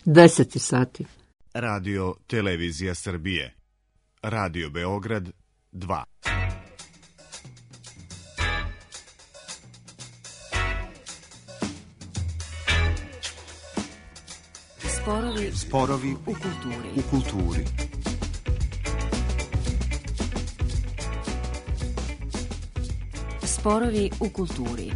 10 sati. Radio Televizija Srbije. Radio Beograd 2. Sporovi u kulturi. Sporovi u kulturi.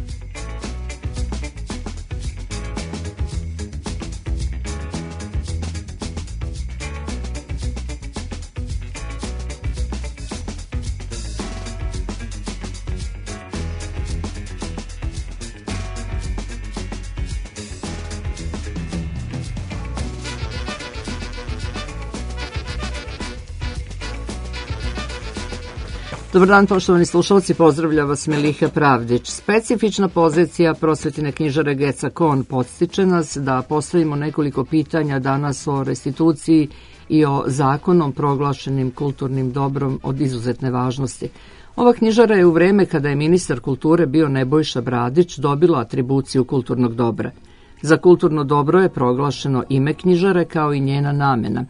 Dobar dan, poštovani slušalci, pozdravlja vas Miliha Pravdić. Specifična pozicija prosvetine knjižare Geca Kon podstiče nas da postavimo nekoliko pitanja danas o restituciji i o zakonom proglašenim kulturnim dobrom od izuzetne važnosti. Ova knjižara je u vreme kada je ministar kulture bio Nebojša Bradić dobila atribuciju kulturnog dobra. Za kulturno dobro je proglašeno ime knjižare kao i njena namena.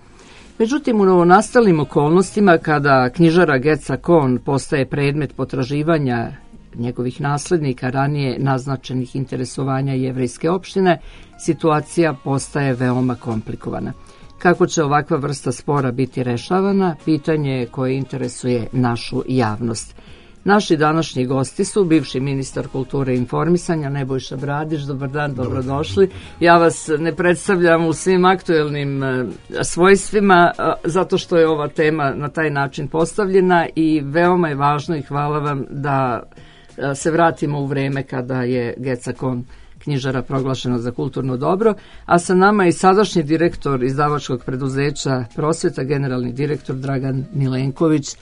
Međutim, u novonastalim okolnostima, kada knjižara Geca Kon postaje predmet potraživanja njegovih naslednika ranije naznačenih interesovanja jevrejske opštine, situacija postaje veoma komplikovana. Kako će ovakva vrsta spora biti rešavana, pitanje je koje interesuje našu javnost. Naši današnji gosti su bivši ministar kulture i informisanja Nebojša Bradić. Dobar dan, dobrodošli. Ja vas ne predstavljam u svim aktuelnim svojstvima zato što je ova tema na taj način postavljena i veoma je važno i hvala vam da se vratimo u vreme kada je Geca Kon knjižara proglašena za kulturno dobro, a sa nama je i sadašnji direktor izdavačkog preduzeća Prosveta, generalni direktor Dragan Milenković.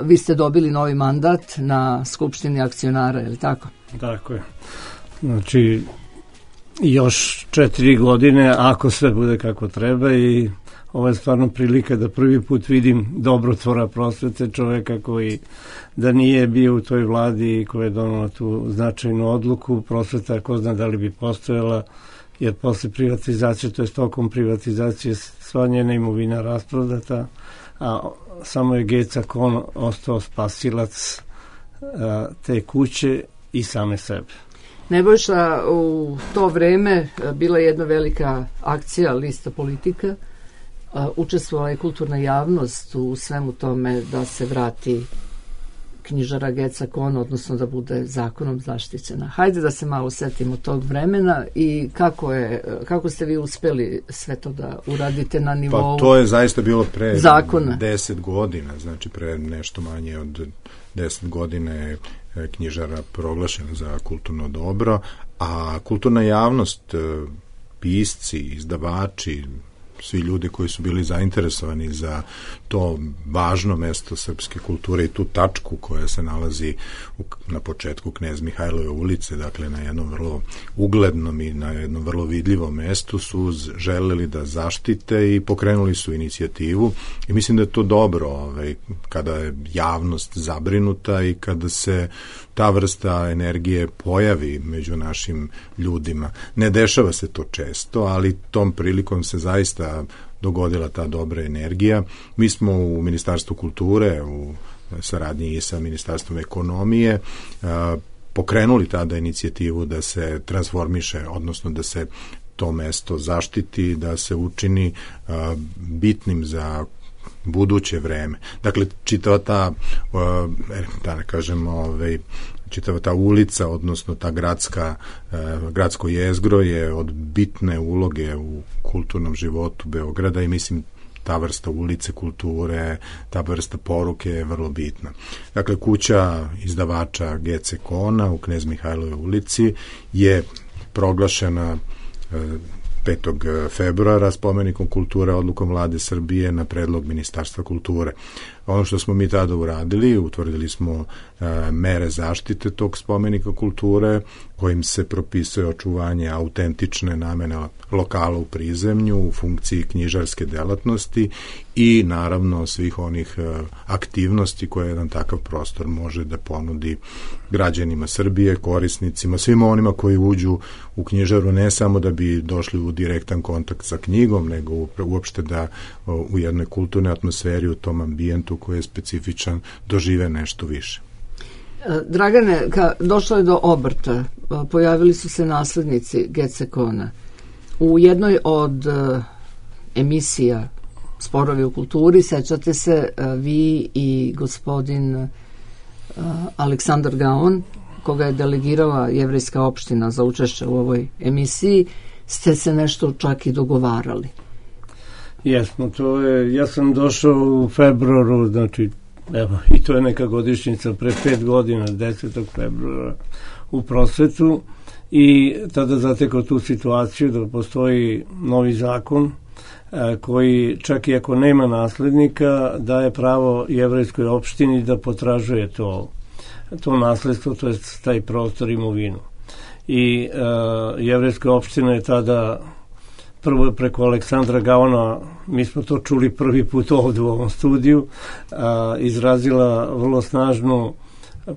Vi ste dobili novi mandat na Skupštini akcionara, je li tako? Tako je. Znači, još 4 godine, ako sve bude kako treba, i ovo je stvarno prilika da prvi put vidim dobrotvora prosvete, čoveka koji da nije bio u toj vladi i koja je donala tu značajnu odluku. Prosveta, ko zna da li bi postojala, jer posle privatizacije, to je tokom privatizacije, sva njena imovina rasprodata, a samo je Geca Kon ostao spasilac te kuće i same sebe. Nebojša, u to vreme bila je jedna velika akcija Lista politika. Učestvovala je kulturna javnost u svemu tome da se vrati knjižara Geca Kon, odnosno da bude zakonom zaštićena. Hajde da se malo setimo tog vremena i kako ste vi uspeli sve to da uradite na nivou zakona? Pa to je zaista bilo pre zakona. 10 godina, znači pre nešto manje od 10 godina je knjižara proglašena za kulturno dobro, a kulturna javnost, pisci, izdavači, svi ljudi koji su bili zainteresovani za to važno mesto srpske kulture i tu tačku koja se nalazi na početku Knez Mihajlove ulice, dakle na jednom vrlo uglednom i na jednom vrlo vidljivom mestu, su želeli da zaštite i pokrenuli su inicijativu i mislim da je to dobro kada je javnost zabrinuta i kada se ta vrsta energije pojavi među našim ljudima. Ne dešava se to često, ali tom prilikom se zaista dogodila ta dobra energija. Mi smo u Ministarstvu kulture, u saradnji i sa Ministarstvom ekonomije, pokrenuli tada inicijativu da se transformiše, odnosno da se to mesto zaštiti, da se učini bitnim za buduće vreme. Dakle, čitava ta, da kažemo, čitava ta ulica, odnosno ta gradsko jezgro je od bitne uloge u kulturnom životu Beograda i mislim ta vrsta ulice kulture, ta vrsta poruke je vrlo bitna. Dakle, kuća izdavača Gece Kona u Knez Mihajlove ulici je proglašena 5. februara spomenikom kulture odlukom Vlade Srbije na predlog Ministarstva kulture. Ono što smo mi tada uradili, utvrdili smo mere zaštite tog spomenika kulture, kojim se propisuje očuvanje autentične namene lokala u prizemlju u funkciji knjižarske delatnosti i naravno svih onih aktivnosti koje jedan takav prostor može da ponudi građanima Srbije, korisnicima, svima onima koji uđu u knjižaru ne samo da bi došli u direktan kontakt sa knjigom, nego uopšte da u jednoj kulturnoj atmosferi, u tom ambijentu koji je specifičan, dožive nešto više. Dragane, došlo je do obrta, pojavili su se naslednici GCKON-a. U jednoj od emisija Sporovi u kulturi, sećate se, vi i gospodin Aleksandar Gaon, koga je delegirala Jevrejska opština za učešće u ovoj emisiji, ste se nešto čak i dogovarali. Jesmo, ja sam došao u februaru, znači, evo, i to je neka godišnjica, pre 5 godina, 10. februara, u prosvetu, i tada zatekao tu situaciju da postoji novi zakon koji, čak i ako nema naslednika, daje pravo jevrejskoj opštini da potražuje to nasledstvo, to je taj prostor, imovinu. I jevrejska opština je tada, prvo preko Aleksandra Gaona, mi smo to čuli prvi put ovdje u ovom studiju, izrazila vrlo snažnu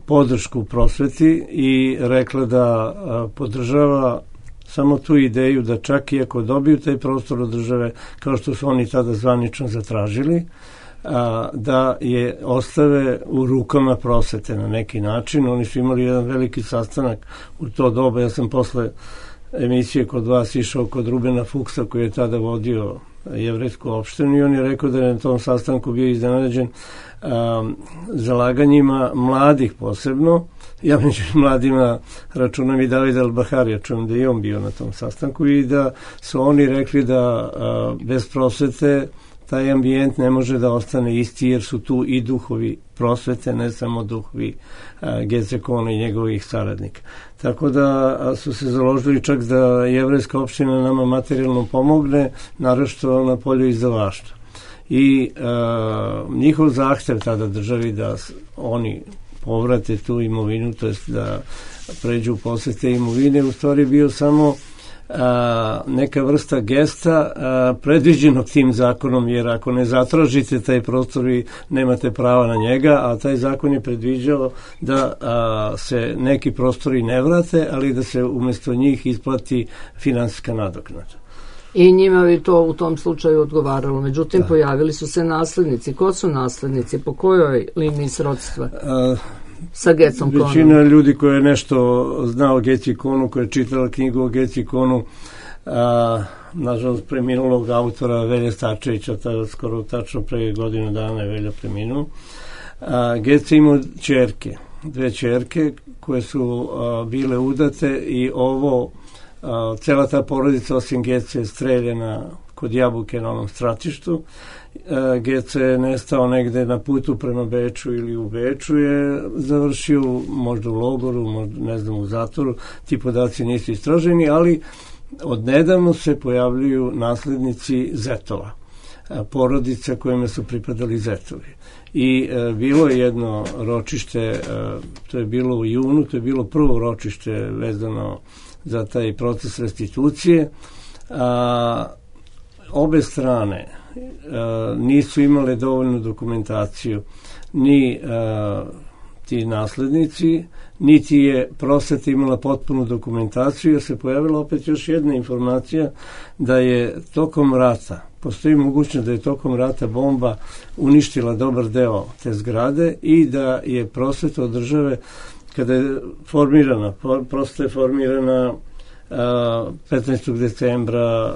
podršku prosveti i rekla da podržava samo tu ideju da čak i ako dobiju taj prostor od države, kao što su oni tada zvanično zatražili, da je ostave u rukama prosvete na neki način. Oni su imali jedan veliki sastanak u to doba. Ja sam posle emisije kod vas išao kod Rubena Fuksa, koji je tada vodio jevrejsku opštinu, i on je rekao da je na tom sastanku bio iznenađen zalaganjima mladih posebno. Ja među mladima računam i Davida Al-Baharija, čujem da je on bio na tom sastanku, i da su oni rekli da bez prosvete taj ambijent ne može da ostane isti, jer su tu i duhovi prosvete, ne samo duhovi GCKON-a i njegovih saradnika. Tako da su se založili čak da jevrejska opština nama materijalno pomogne, naročito na polju izdavaštva. I njihov zahtev tada državi da oni povrate tu imovinu, to jest da pređu u posete imovine, u stvari bio samo neka vrsta gesta predviđenog tim zakonom, jer ako ne zatražite taj prostor, vi nemate prava na njega, a taj zakon je predviđao da se neki prostori ne vrate, ali da se umjesto njih isplati finansijska nadoknada. I njima bi to u tom slučaju odgovaralo. Međutim, pojavili su se naslednici. Ko su naslednici? Po kojoj liniji srodstva? Sa GCKON-om? Većina ljudi koja je nešto znao o GCKON-u, koja je čitala knjigu o GCKON-u, nažalost preminulog autora Velje Stačevića, skoro tačno pre godinu dana je Velja preminuo. GC imao ćerke, 2 ćerke koje su bile udate, i cela ta porodica osim GC je streljena kod Jabuke na onom stratištu. GC je nestao negde na putu prema Beču ili u Beču je završio, možda u logoru, možda, ne znam, u zatvoru. Ti podaci nisu istraženi, ali odnedavno se pojavljuju naslednici zetova, porodica kojima su pripadali zetovi. I bilo je jedno ročište, to je bilo u junu, to je bilo prvo ročište vezano za taj proces restitucije. Obe strane nisu imale dovoljnu dokumentaciju, ni ti naslednici, niti je prosveta imala potpunu dokumentaciju, jer se pojavila opet još jedna informacija da je tokom rata, postoji mogućnost da je tokom rata bomba uništila dobar deo te zgrade i da je prosveta od države, kada je formirana, prosveta je formirana 15. decembra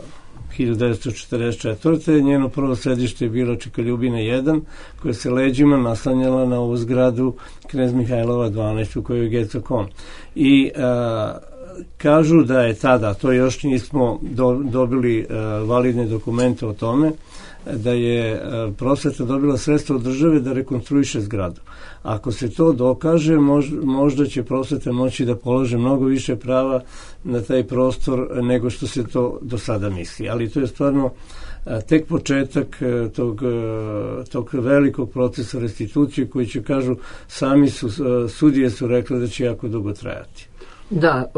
1944. Njeno prvo sedište je bilo Čekaljubina 1, koja se leđima naslanjala na ovu zgradu Knez Mihajlova 12, u kojoj je GCKON. I kažu da je tada, to još nismo dobili validne dokumente o tome, da je prosveta dobila sredstva od države da rekonstruiše zgradu. Ako se to dokaže, možda će prosveta moći da polože mnogo više prava na taj prostor nego što se to do sada misli. Ali to je stvarno tek početak tog velikog procesa restitucije koji će, kažu, sudije su rekli da će jako dugo trajati. Da,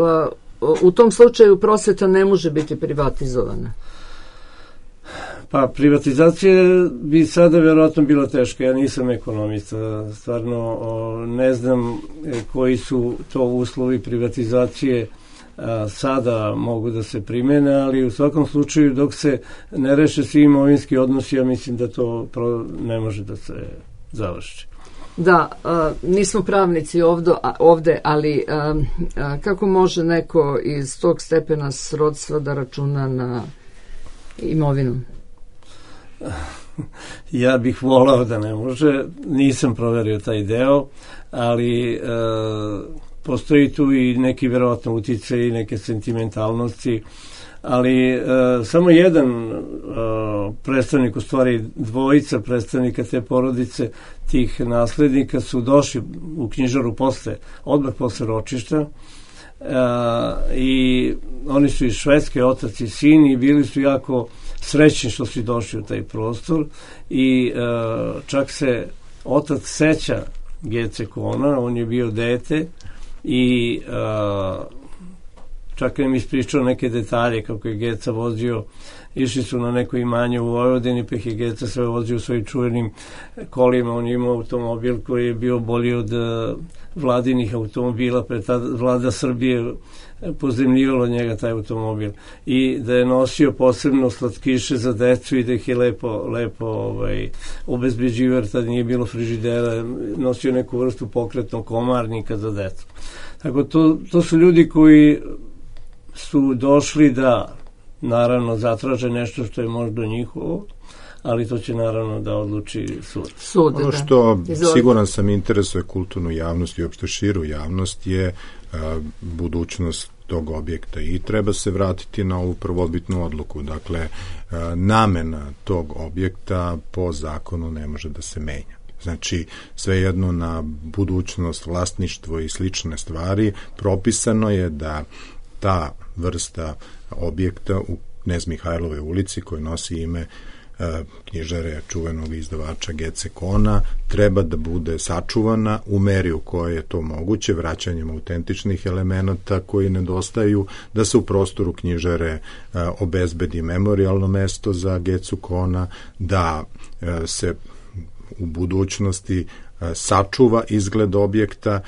u tom slučaju prosveta ne može biti privatizovana. Pa privatizacija bi sada vjerojatno bila teška. Ja nisam ekonomista, stvarno ne znam koji su to uslovi privatizacije sada mogu da se primene, ali u svakom slučaju dok se ne reše svi imovinski odnosi, ja mislim da to ne može da se završi. Da, nismo pravnici ovde, ali kako može neko iz tog stepena srodstva da računa na imovinu? Ja bih volao da ne može, nisam proverio taj deo, ali postoji tu i neki verovatno uticaj i neke sentimentalnosti, ali samo jedan predstavnik, u stvari dvojica predstavnika te porodice, tih naslednika su došli u knjižaru odmah posle ročišta, i oni su iz Švedske, otac i sin, i bili su jako srećni što su došli u taj prostor i čak se otac seća Gece Kona, on je bio dete i čak je mi ispričao neke detalje kako je Geca vozio, išli su na neko imanje u Vojvodini, pa je Geca sve vozio u svojim čuvenim kolima, on je imao automobil koji je bio bolji od vladinih automobila, pre tada vlada Srbije pozemljivala njega taj automobil, i da je nosio posebno slatkiše za decu i da ih je lepo obezbeđivao, jer tada nije bilo frižidera, nosio neku vrstu pokretnog komarnika za decu. Tako to su ljudi koji su došli da naravno zatraže nešto što je možda njihovo, ali to će naravno da odluči sud. Ono što siguran sam interesuje kulturnu javnost i uopšte širu javnost je budućnost tog objekta i treba se vratiti na ovu prvobitnu odluku. Dakle, namena tog objekta po zakonu ne može da se menja. Znači, svejedno na budućnost, vlasništvo i slične stvari propisano je da ta vrsta objekta u Knez Mihajlovoj ulici, koji nosi ime knjižare čuvenog izdavača Gece Kona, treba da bude sačuvana u meri u kojoj je to moguće, vraćanjem autentičnih elemenata koji nedostaju, da se u prostoru knjižare obezbedi memorijalno mesto za Gecu Kona, da se u budućnosti sačuva izgled objekta,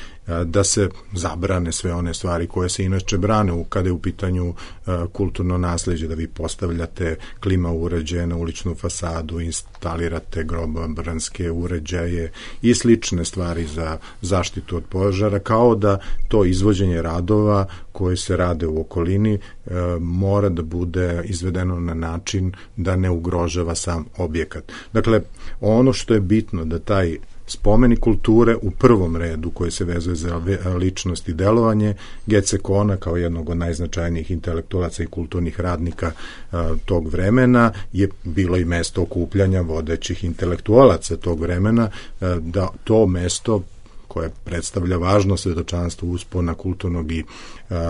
da se zabrane sve one stvari koje se inače brane kada je u pitanju kulturno nasleđe, da vi postavljate klima uređaje na uličnu fasadu, instalirate grobobranske uređaje i slične stvari za zaštitu od požara, kao da to izvođenje radova koje se rade u okolini mora da bude izvedeno na način da ne ugrožava sam objekat. Dakle, ono što je bitno da taj spomenik kulture u prvom redu koji se vezuje za ličnost i delovanje Gece Kona kao jednog od najznačajnijih intelektualaca i kulturnih radnika tog vremena je bilo i mesto okupljanja vodećih intelektualaca tog vremena, da to mesto koje predstavlja važno svedočanstvo uspona kulturnog i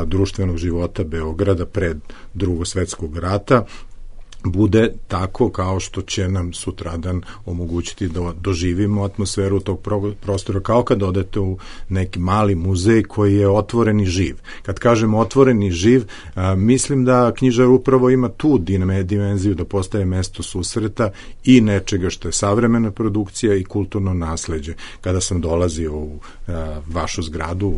društvenog života Beograda pred Drugog svetskog rata bude tako kao što će nam sutradan omogućiti da doživimo atmosferu tog prostora, kao kad odete u neki mali muzej koji je otvoren i živ. Kad kažemo otvoren i živ, mislim da knjižar upravo ima tu dimenziju da postaje mesto susreta i nečega što je savremena produkcija i kulturno nasleđe. Kada sam dolazio u vašu zgradu,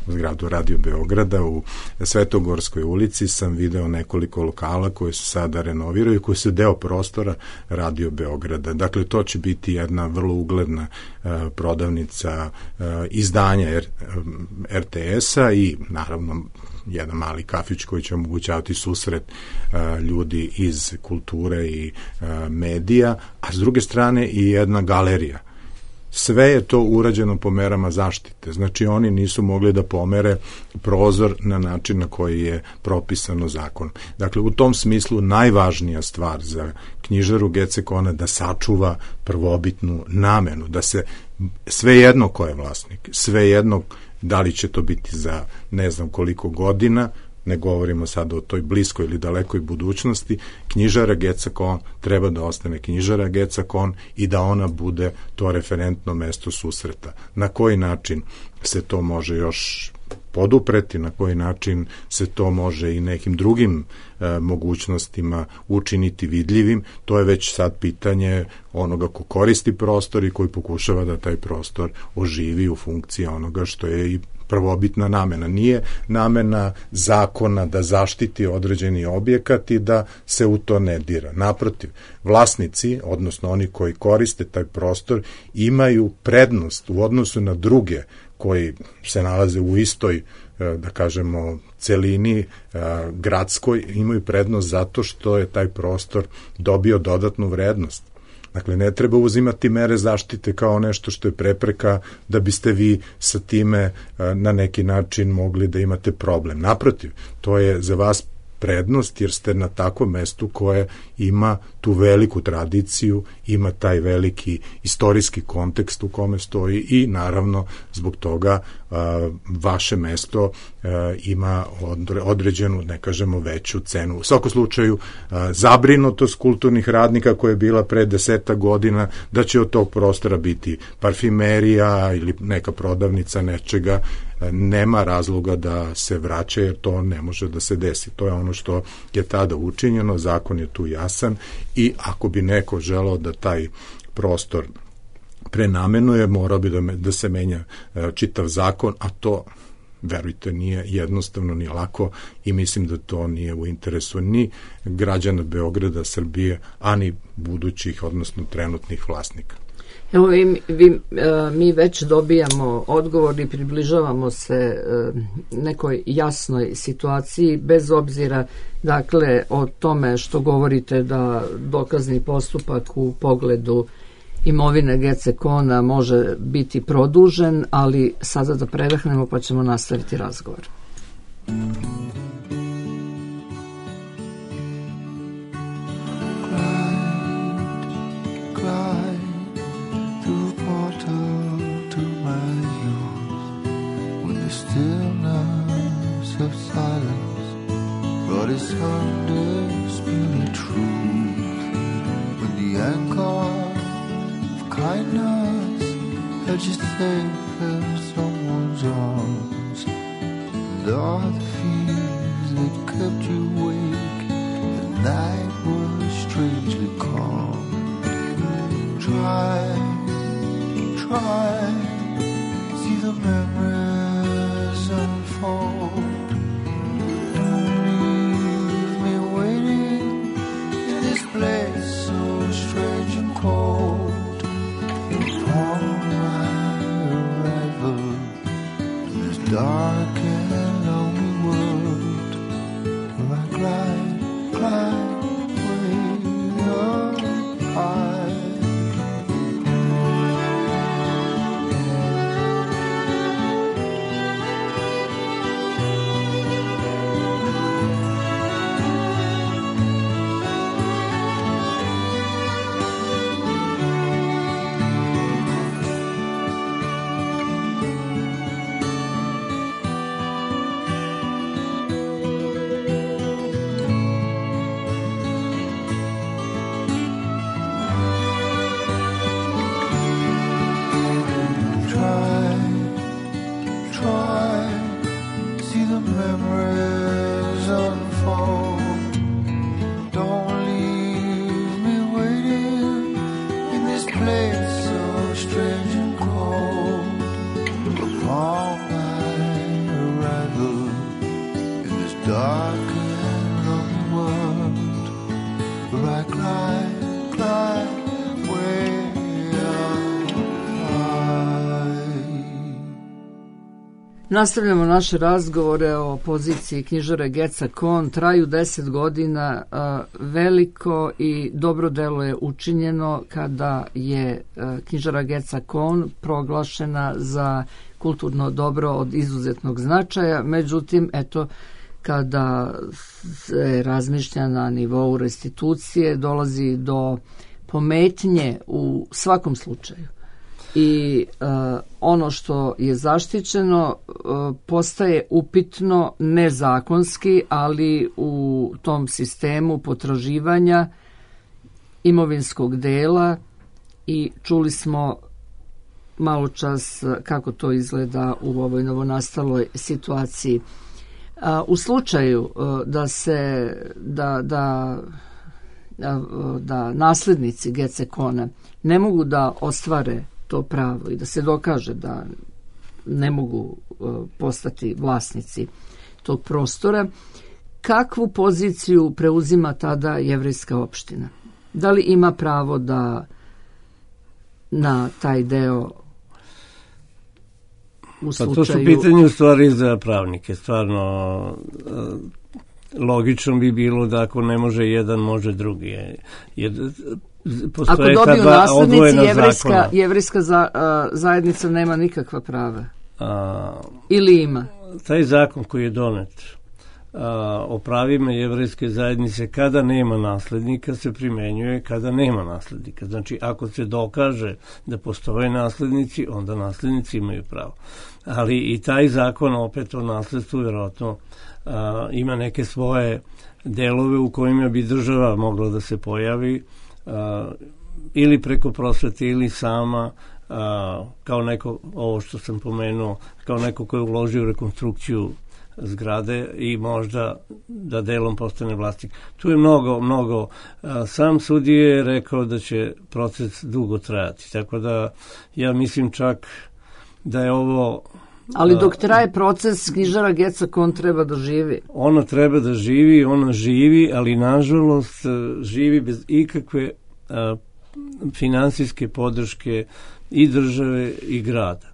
zgradu Radio Beograda u Svetogorskoj ulici, sam video nekoliko lokala koje se sada renoviraju i koji su deo prostora Radio Beograda. Dakle, to će biti jedna vrlo ugledna prodavnica izdanja RTS-a i naravno jedan mali kafić koji će omogućavati susret ljudi iz kulture i medija, a s druge strane i jedna galerija sve je to urađeno po merama zaštite. Znači, oni nisu mogli da pomere prozor na način na koji je propisano zakonom. Dakle, u tom smislu najvažnija stvar za knjižaru Gecekona da sačuva prvobitnu namenu, da se svejedno ko je vlasnik, svejedno da li će to biti za ne znam koliko godina, ne govorimo sad o toj bliskoj ili dalekoj budućnosti, knjižara Gecekon treba da ostane knjižara Gecekon i da ona bude to referentno mesto susreta. Na koji način se to može još podupreti, na koji način se to može i nekim drugim mogućnostima učiniti vidljivim, to je već sad pitanje onoga ko koristi prostor i koji pokušava da taj prostor oživi u funkciji onoga što je i prvobitna namena. Nije namena zakona da zaštiti određeni objekat i da se u to ne dira. Naprotiv, vlasnici, odnosno oni koji koriste taj prostor, imaju prednost u odnosu na druge koji se nalaze u istoj, da kažemo, celini gradskoj, imaju prednost zato što je taj prostor dobio dodatnu vrednost. Dakle, ne treba uzimati mere zaštite kao nešto što je prepreka da biste vi sa time na neki način mogli da imate problem. Naprotiv, to je za vas prednost jer ste na takvom mestu koje ima tu veliku tradiciju, ima taj veliki istorijski kontekst u kome stoji i naravno zbog toga vaše mesto ima određenu, ne kažemo veću cenu. U svakom slučaju zabrinutost kulturnih radnika koja je bila pre 10 godina da će od tog prostora biti parfimerija ili neka prodavnica nečega, nema razloga da se vraća jer to ne može da se desi. To je ono što je tada učinjeno, zakon je tu jasan i ako bi neko želeo da taj prostor prenamenuje, morao bi da se menja čitav zakon, a to, verujte, nije jednostavno ni lako i mislim da to nije u interesu ni građana Beograda, Srbije, a ni budućih, odnosno trenutnih vlasnika. Evo, mi već dobijamo odgovor i približavamo se nekoj jasnoj situaciji, bez obzira, dakle, o tome što govorite da dokazni postupak u pogledu imovine Gecekona može biti produžen, ali sada da predahnemo pa ćemo nastaviti razgovor. Of silence brought his undisputed truth. When the anchor of kindness held you safe in someone's arms, and all the fears that kept you awake, the night was strangely calm. Try, see the memories unfold. Place so strange and cold. Upon my arrival in this dark and lonely world, where I glide way up high. Nastavljamo naše razgovore o poziciji knjižare Geca Kon. Traju 10 godina. Veliko i dobro delo je učinjeno kada je knjižara Geca Kon proglašena za kulturno dobro od izuzetnog značaja. Međutim, eto, kada se razmišlja na nivou restitucije, dolazi do pometnje u svakom slučaju. I ono što je zaštićeno postaje upitno nezakonski, ali u tom sistemu potraživanja imovinskog dela, i čuli smo malo čas kako to izgleda u ovoj novonastaloj situaciji. U slučaju da naslednici Gece Kona ne mogu da ostvare to pravo i da se dokaže da ne mogu postati vlasnici tog prostora, kakvu poziciju preuzima tada jevrejska opština? Da li ima pravo da na taj deo u slučaju... Pa to su pitanje u stvari za pravnike. Stvarno logično bi bilo da ako ne može jedan, može drugi. Ako dobiju naslednici, jevrejska zajednica nema nikakva prava. Ili ima? Taj zakon koji je donet o pravima jevrejske zajednice, kada nema naslednika, se primenjuje kada nema naslednika. Znači, ako se dokaže da postoje naslednici, onda naslednici imaju pravo. Ali i taj zakon opet o nasledstvu vjerojatno ima neke svoje delove u kojima bi država mogla da se pojavi, ili preko prosvete ili sama, kao neko, ovo što sam pomenuo, kao neko ko je uložio rekonstrukciju zgrade i možda da delom postane vlasnik. Tu je mnogo. Sam sudija je rekao da će proces dugo trajati, tako da ja mislim čak da je ovo... Ali dok traje proces, knjižara Geca Kon treba da živi. Ona treba da živi, ona živi, ali nažalost živi bez ikakve finansijske podrške i države i grada.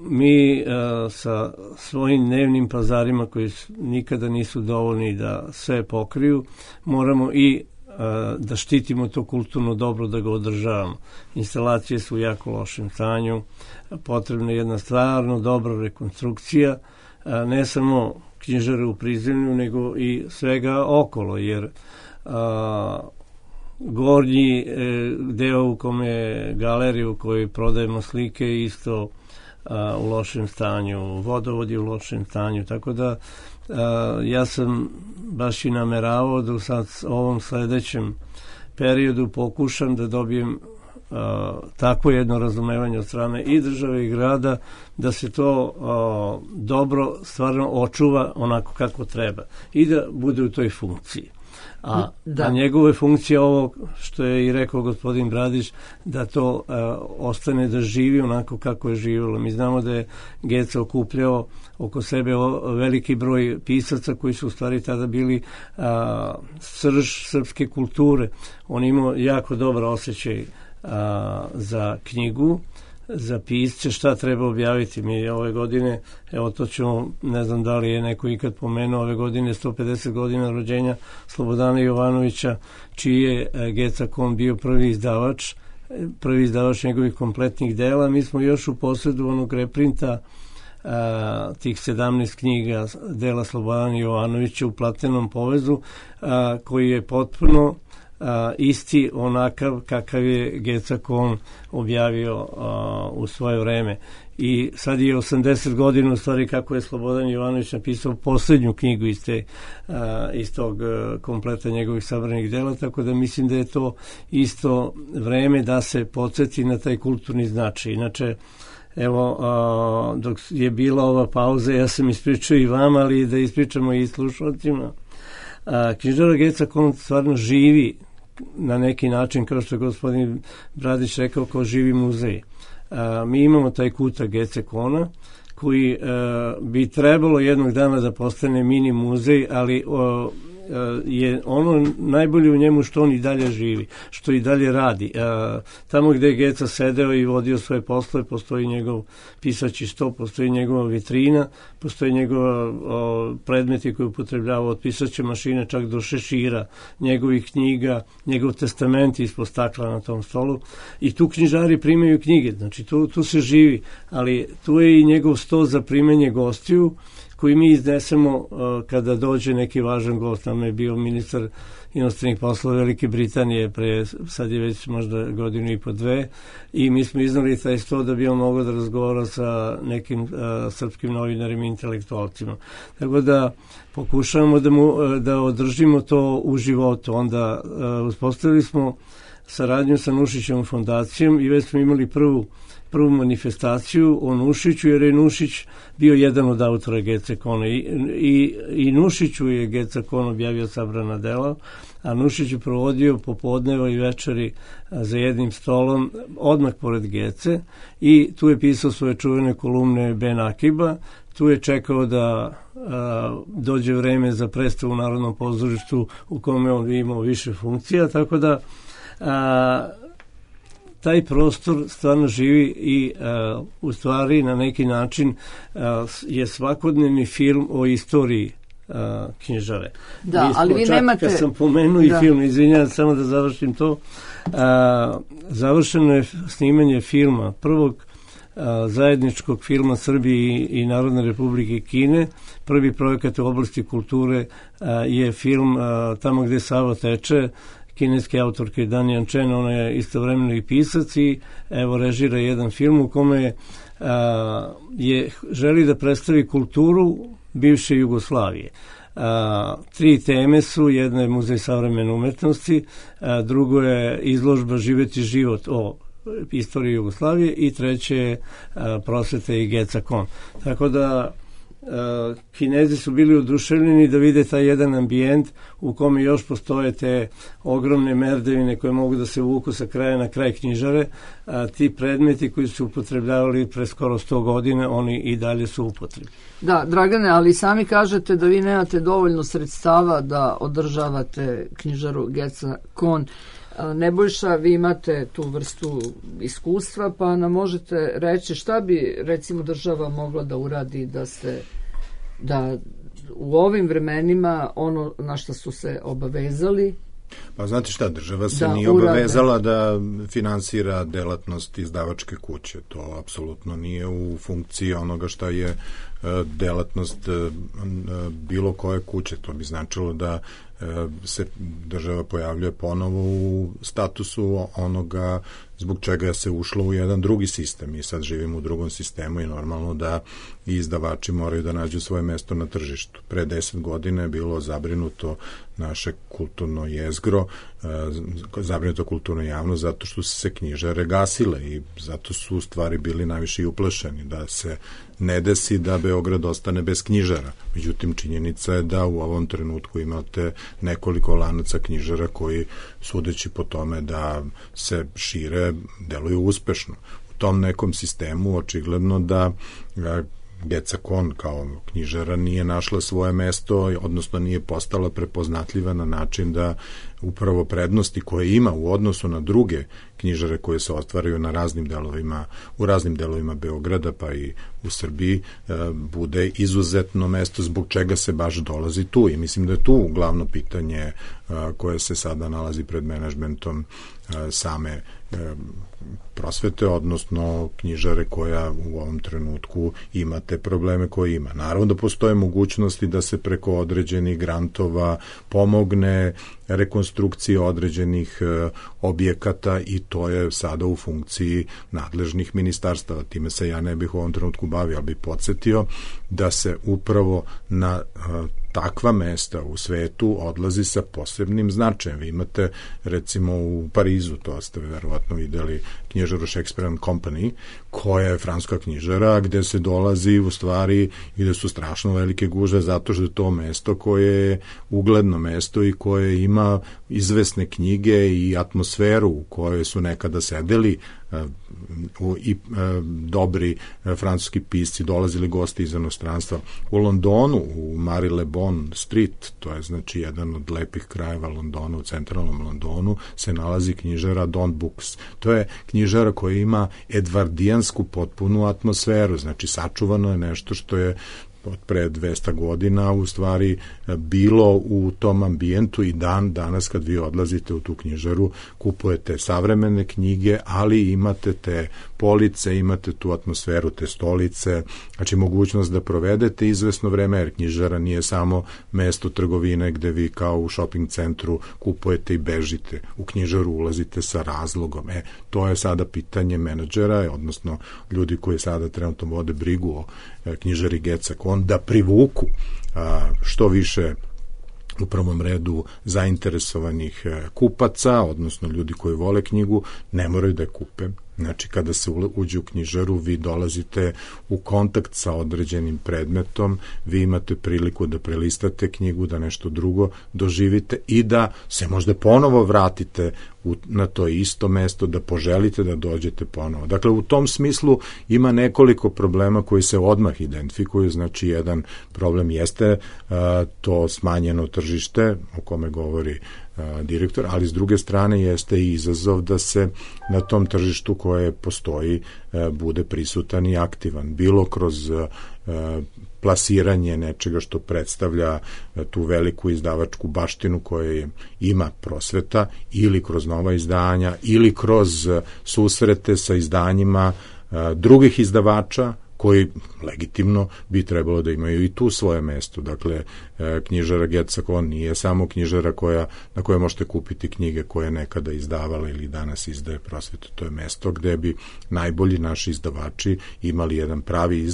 Mi sa svojim dnevnim pazarima koji nikada nisu dovoljni da sve pokriju, moramo i da štitimo to kulturno dobro, da ga održavamo. Instalacije su u jako lošem stanju, potrebna je jedna stvarno dobra rekonstrukcija, ne samo knjižare u prizemlju, nego i svega okolo, jer gornji deo u kome galeriju u kojoj prodajemo slike isto u lošem stanju, vodovod je u lošem stanju, tako da ja sam baš i nameravao da u ovom sledećem periodu pokušam da dobijem takvo jedno razumevanje od strane i države i grada, da se to dobro stvarno očuva onako kako treba i da bude u toj funkciji. A njegove funkcije, ovo što je i rekao gospodin Bradić, da to ostane da živi onako kako je živjelo. Mi znamo da je Geca okupljao oko sebe veliki broj pisaca koji su u stvari tada bili srž srpske kulture. On imao jako dobar osjećaj za knjigu, za pisce, šta treba objaviti. Mi ove godine, evo to ćemo, ne znam da li je neko ikad pomenuo, ove godine 150 godina rođenja Slobodana Jovanovića, čiji je Geca Kon bio prvi izdavač njegovih kompletnih dela. Mi smo još u posledu onog reprinta tih 17 knjiga dela Slobodana Jovanovića u platnenom povezu, koji je potpuno isti onakav kakav je Geca Kon objavio u svoje vreme. I sad je 80 godina u stvari kako je Slobodan Jovanović napisao poslednju knjigu iz tog kompleta njegovih sabranih dela, tako da mislim da je to isto vreme da se podsjeti na taj kulturni značaj. Inače, evo, dok je bila ova pauza, ja sam ispričao i vama, ali da ispričamo i slušalcima. Knjižara Geca Kon stvarno živi na neki način, kao što je gospodin Bradić rekao, kao živi muzej. Mi imamo taj kutak Gece Kona, koji bi trebalo jednog dana da postane mini muzej, ali je ono najbolje u njemu što on i dalje živi, što i dalje radi. Tamo gde je Geca sedeo i vodio svoje poslove, postoji njegov pisaći sto, postoji njegova vitrina, postoji njegova predmeti koje upotrebljava od pisaće mašine čak do šešira, njegovih knjiga, njegov testament ispod stakla na tom stolu i tu knjižari primaju knjige, znači tu se živi, ali tu je i njegov sto za primanje gostiju koji mi iznesemo kada dođe neki važan gost. Nam je bio ministar inostranih poslova Velike Britanije sad je već možda godinu i po dve i mi smo iznali taj sto da bi on mogao da razgovara sa nekim srpskim novinarima i intelektualcima. Tako da pokušavamo da održimo to u životu. Onda uspostavili smo saradnju sa Nušićevom fondacijom i već smo imali prvu manifestaciju o Nušiću, jer je Nušić bio jedan od autora Gece Kona i Nušiću je Geca Kon objavio sabrana dela, a Nušić je provodio popodneva i večeri za jednim stolom odmah pored Gece i tu je pisao svoje čuvene kolumne Ben Akiba, tu je čekao da dođe vreme za predstavu u Narodnom pozorištu u kome on imao više funkcija, tako da taj prostor stvarno živi i u stvari na neki način je svakodnevni film o istoriji knjižare. Da, ali vi nemate... Kad sam pomenuo i film, izvinjam, samo da završim to, završeno je snimanje filma, prvog zajedničkog filma Srbije i Narodne Republike Kine. Prvi projekat u oblasti kulture je film Tamo gde Sava teče, kineske autorke Dan Yan-chen, ona je istovremeno i pisac i evo režira jedan film u kome želi da predstavi kulturu bivše Jugoslavije. Tri teme su, jedna je Muzej savremene umetnosti, drugo je izložba Živeti život o istoriji Jugoslavije i treće je prosveta i Geca Kon. Tako da Kinezi su bili oduševljeni da vide taj jedan ambijent u kome još postoje te ogromne merdevine koje mogu da se vuku sa kraja na kraj knjižare, a ti predmeti koji su upotrebljavali pre skoro 100 godina, oni i dalje su upotrebi. Da, Dragane, ali sami kažete da vi nemate dovoljno sredstava da održavate knjižaru Geca Kon. Nebojša, vi imate tu vrstu iskustva, pa nam možete reći šta bi recimo država mogla da uradi da u ovim vremenima ono na što su se obavezali. Pa znate šta, država se nije obavezala da finansira delatnost izdavačke kuće. To apsolutno nije u funkciji onoga šta je delatnost bilo koje kuće. To bi značilo da se država pojavljuje ponovo u statusu onoga zbog čega se ušlo u jedan drugi sistem. Mi sad živimo u drugom sistemu i normalno da i izdavači moraju da nađu svoje mesto na tržištu. Pre 10 godina je bilo zabrinuto naše kulturno jezgro, zabrinuto kulturno javnost zato što su se knjižare gasile i zato su u stvari bili najviše i uplašeni da se ne desi da Beograd ostane bez knjižara. Međutim, činjenica je da u ovom trenutku imate nekoliko lanaca knjižara koji, sudeći po tome da se šire, deluju uspešno. U tom nekom sistemu očigledno da Geca Kon kao knjižara nije našla svoje mesto, odnosno nije postala prepoznatljiva na način da upravo prednosti koje ima u odnosu na druge knjižare koje se ostvaraju na u raznim delovima Beograda pa i u Srbiji bude izuzetno mesto zbog čega se baš dolazi tu i mislim da je tu glavno pitanje koje se sada nalazi pred menadžmentom same prosvete, odnosno knjižare koja u ovom trenutku ima te probleme koje ima. Naravno da postoje mogućnosti da se preko određenih grantova pomogne rekonstrukcije određenih objekata i to je sada u funkciji nadležnih ministarstava. Time se ja ne bih u ovom trenutku bavio, ali bih podsjetio da se upravo na takva mesta u svetu odlazi sa posebnim značajem. Vi imate recimo u Parizu, to ste verovatno videli, knjižaru Shakespeare and Company, koja je francuska knjižara gde se dolazi u stvari i gde su strašno velike gužve zato što je to mesto koje je ugledno mesto i koje ima izvesne knjige i atmosferu u kojoj su nekada sedeli dobri francuski pisci, dolazili gosti iz inostranstva. U Londonu, u Marylebone Street, to je znači jedan od lepih krajeva Londona, u centralnom Londonu, se nalazi knjižara Don Books. To je knjižara koja ima edvardijansku potpunu atmosferu, znači sačuvano je nešto što je od pre 200 godina u stvari bilo u tom ambijentu i danas kad vi odlazite u tu knjižaru kupujete savremene knjige, ali imate te police, imate tu atmosferu, te stolice, znači mogućnost da provedete izvesno vreme, jer knjižara nije samo mesto trgovine gde vi kao u shopping centru kupujete i bežite. U knjižaru ulazite sa razlogom. To je sada pitanje menadžera, odnosno ljudi koji sada trenutno vode brigu o knjižari Getza Kon, da privuku što više u prvom redu zainteresovanih kupaca, odnosno ljudi koji vole knjigu, ne moraju da je kupe. Znači, kada se uđe u knjižaru, vi dolazite u kontakt sa određenim predmetom, vi imate priliku da prelistate knjigu, da nešto drugo doživite i da se možda ponovo vratite na to isto mesto, da poželite da dođete ponovo. Dakle, u tom smislu ima nekoliko problema koji se odmah identifikuju. Znači, jedan problem jeste to smanjeno tržište, o kome govori direktor, ali s druge strane jeste i izazov da se na tom tržištu koje postoji bude prisutan i aktivan, bilo kroz plasiranje nečega što predstavlja tu veliku izdavačku baštinu koja ima prosveta, ili kroz nova izdanja, ili kroz susrete sa izdanjima drugih izdavača koji legitimno bi trebalo da imaju i tu svoje mesto. Dakle, knjižara Getza Kon nije samo knjižara na kojoj možete kupiti knjige koje je nekada izdavala ili danas izdaje prosvetu. To je mesto gde bi najbolji naši izdavači imali jedan pravi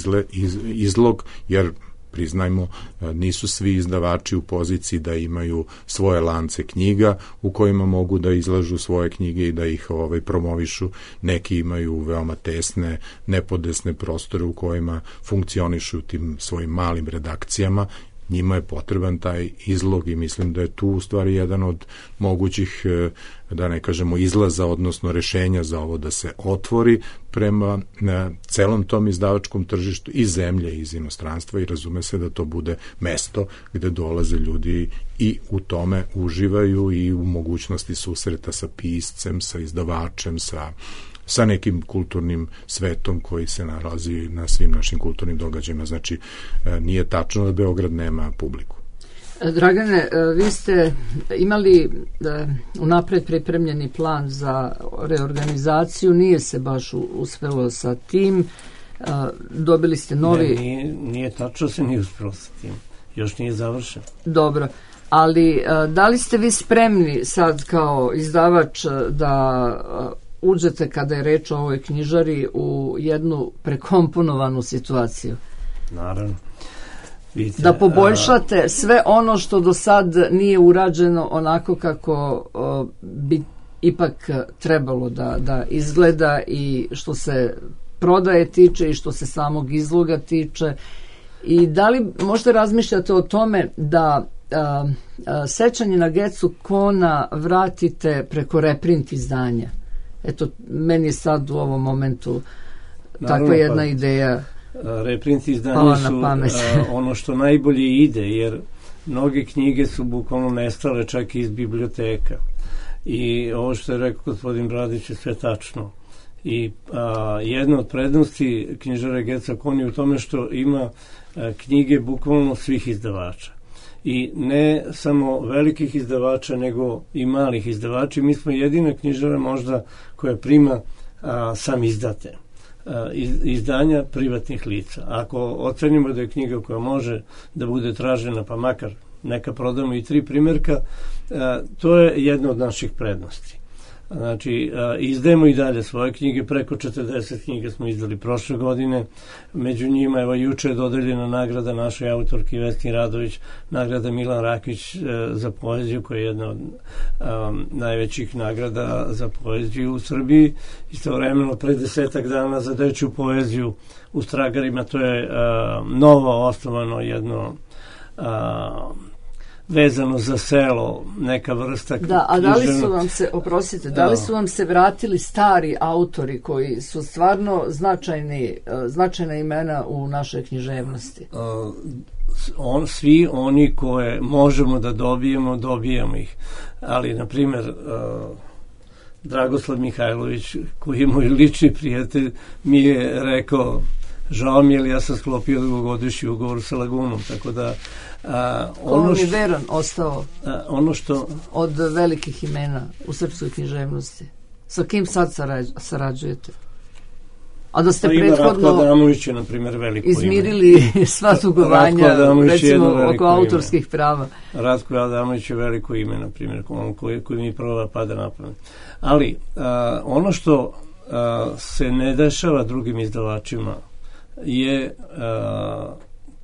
izlog, jer priznajmo, nisu svi izdavači u poziciji da imaju svoje lance knjiga u kojima mogu da izlažu svoje knjige i da ih promovišu. Neki imaju veoma tesne, nepodesne prostore u kojima funkcionišu tim svojim malim redakcijama. Njima je potreban taj izlog i mislim da je tu u stvari jedan od mogućih, da ne kažemo, izlaza, odnosno rešenja za ovo da se otvori prema celom tom izdavačkom tržištu iz zemlje, iz inostranstva, i razume se da to bude mesto gde dolaze ljudi i u tome uživaju i u mogućnosti susreta sa piscem, sa izdavačem, sa nekim kulturnim svetom koji se nalazi na svim našim kulturnim događajima. Znači, nije tačno da Beograd nema publiku. Dragane, vi ste imali unapred pripremljeni plan za reorganizaciju, nije se baš uspelo sa tim, dobili ste novi... Nije tačno, se nije uspelo sa tim, još nije završen. Dobro, ali da li ste vi spremni sad kao izdavač da uđete, kada je reč o ovoj knjižari, u jednu prekomponovanu situaciju? Naravno. Vidite, da poboljšate sve ono što do sad nije urađeno onako kako bi ipak trebalo da izgleda, i što se prodaje tiče i što se samog izloga tiče. I da li možda razmišljate o tome da sećanje na Getzu Kona vratite preko reprint izdanja? Eto, meni je sad u ovom momentu takva jedna ideja. Reprint izdanja su ono što najbolje ide, jer mnoge knjige su bukvalno nestale čak i iz biblioteka. I ovo što je rekao gospodin Bradić je sve tačno. I jedna od prednosti knjižare Getza Kon je u tome što ima knjige bukvalno svih izdavača. I ne samo velikih izdavača, nego i malih izdavača. Mi smo jedina knjižara možda koja prima sam izdate izdanja privatnih lica. Ako ocenimo da je knjiga koja može da bude tražena, pa makar neka prodamo i 3 primjerka, to je jedna od naših prednosti. Znači, izdajemo i dalje svoje knjige, preko 40 knjiga smo izdali prošle godine, među njima, evo, juče je dodeljena nagrada našoj autorki Vesni Radović, nagrada Milan Rakić za poeziju, koja je jedna od najvećih nagrada za poeziju u Srbiji. Istovremeno, pre 10 dana za dečju poeziju u Stragarima, to je novo osnovano jedno vezano za selo, neka vrsta Da, a da li su vam se, oprostite, da li su vam se vratili stari autori koji su stvarno značajna imena u našoj književnosti? Svi oni koje možemo da dobijemo ih. Ali, na primjer, Dragoslav Mihajlović, koji je moj lični prijatelj, mi je rekao, žao mi je, ali ja sam sklopio dugogodišnji ugovor sa Lagunom, tako da ono je veran ostao ono što od velikih imena u srpskoj književnosti. Sa kim sad sarađujete? A da ste prethodno Ratko Adamović je, na primjer, veliko izmirili sva dugovanja, recimo oko autorskih prava. Ratko Adamović je veliko ime, na primjer, koji mi prvo pada na pamet. Ali ono što se ne dešava drugim izdavačima je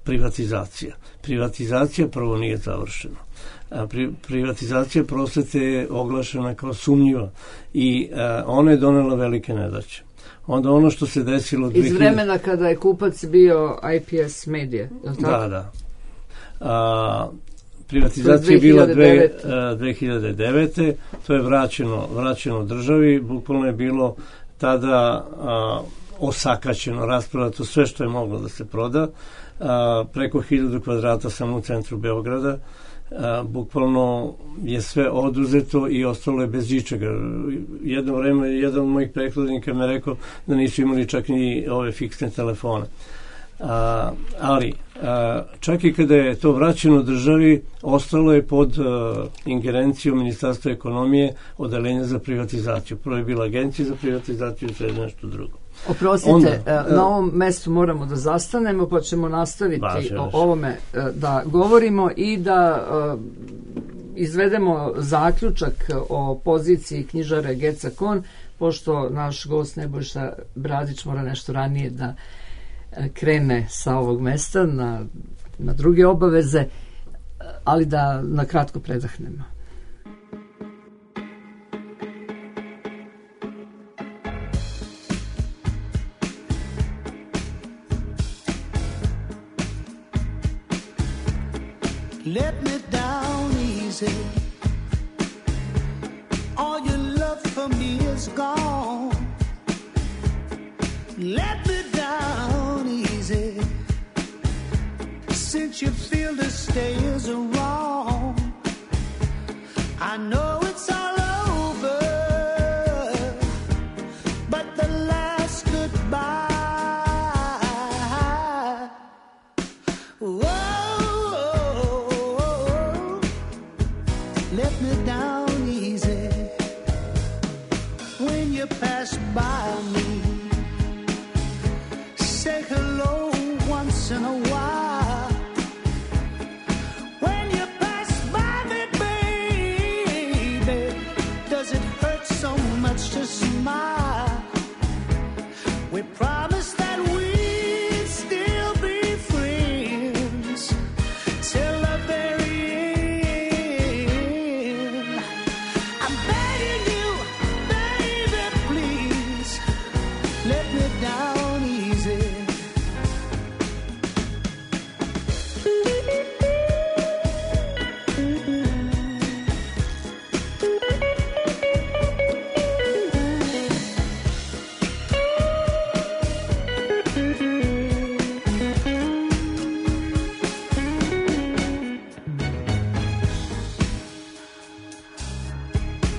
privatizacija. Privatizacija prvo nije završena. Privatizacija prosvete je oglašena kao sumnjiva i ona je donela velike nedaće. Onda ono što se desilo iz vremena kada je kupac bio IPS Media, je li tako? Da. Privatizacija je bila 2009. To je vraćeno državi, bukvalno je bilo tada osakaćeno, rasprodato sve što je moglo da se proda. Preko 1000 kvadrata samo u centru Beograda. Bukvalno je sve oduzeto i ostalo je bez ičega. Jedno vreme jedan od mojih prethodnika me rekao da nisu imali čak ni ove fiksne telefone. Ali čak i kada je to vraćeno državi, ostalo je pod ingerencijom Ministarstva ekonomije odeljenja za privatizaciju. Prvo je bila agencija za privatizaciju i sve nešto drugo. Oprostite, na ovom mestu moramo da zastanemo, pa ćemo nastaviti o ovome da govorimo i da izvedemo zaključak o poziciji knjižare Geca Kon, pošto naš gost Nebojša Bradić mora nešto ranije da krene sa ovog mesta na druge obaveze, ali da na kratko predahnemo. Let me down easy. All your love for me is gone. Let me down easy. Since you feel the stay is wrong, I know it's all over, but the last goodbye. Let me down easy. When you pass by me, say hello once in a while. When you pass by me, baby, does it hurt so much to smile? We promised that we'd still be friends till the very end. I'm begging you, baby, please let me down easy.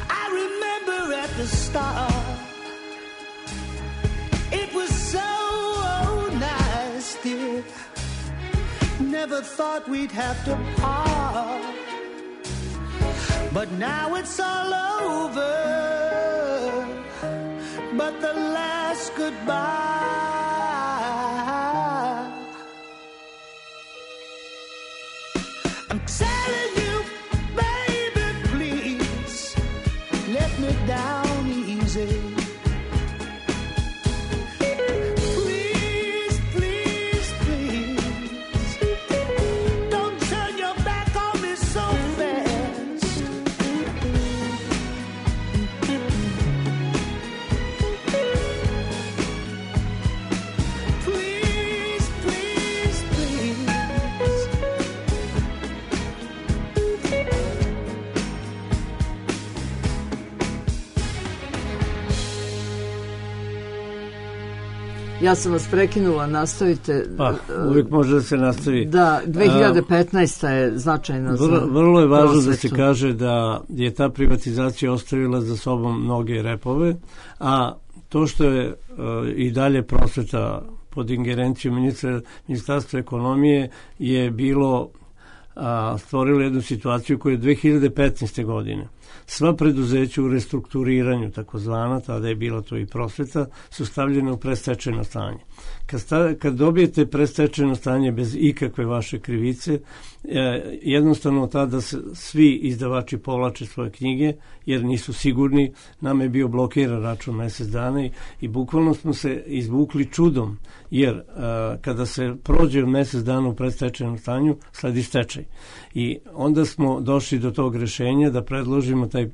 I remember at the start, it was so nice, dear. Never thought we'd have to part, but now it's all over, but the last goodbye. I'm telling you, baby, please let me down easy. Please, please, please, don't turn your back on me so fast. Please, please, please. Ja sam vas prekinula, nastavite. Pa, uvijek može da se nastavi. Da, 2015. je značajna za vrlo je važno prosvetu. da se kaže da je ta privatizacija ostavila za sobom mnoge repove, a to što je i dalje prosveta pod ingerencijom Ministarstva ekonomije je bilo stvorilo jednu situaciju koju je 2015. godine sva preduzeća u restrukturiranju, takozvana, tada je bila to i prosveta, su stavljene u predstečajno stanje. Kad dobijete predstečajno stanje bez ikakve vaše krivice, jednostavno tada svi izdavači povlače svoje knjige jer nisu sigurni. Nama je bio blokiran račun mesec dana i bukvalno smo se izvukli čudom, jer kada se prođe mesec dana u predstečajnom stanju, sledi stečaj. I onda smo došli do tog rešenja da predložimo taj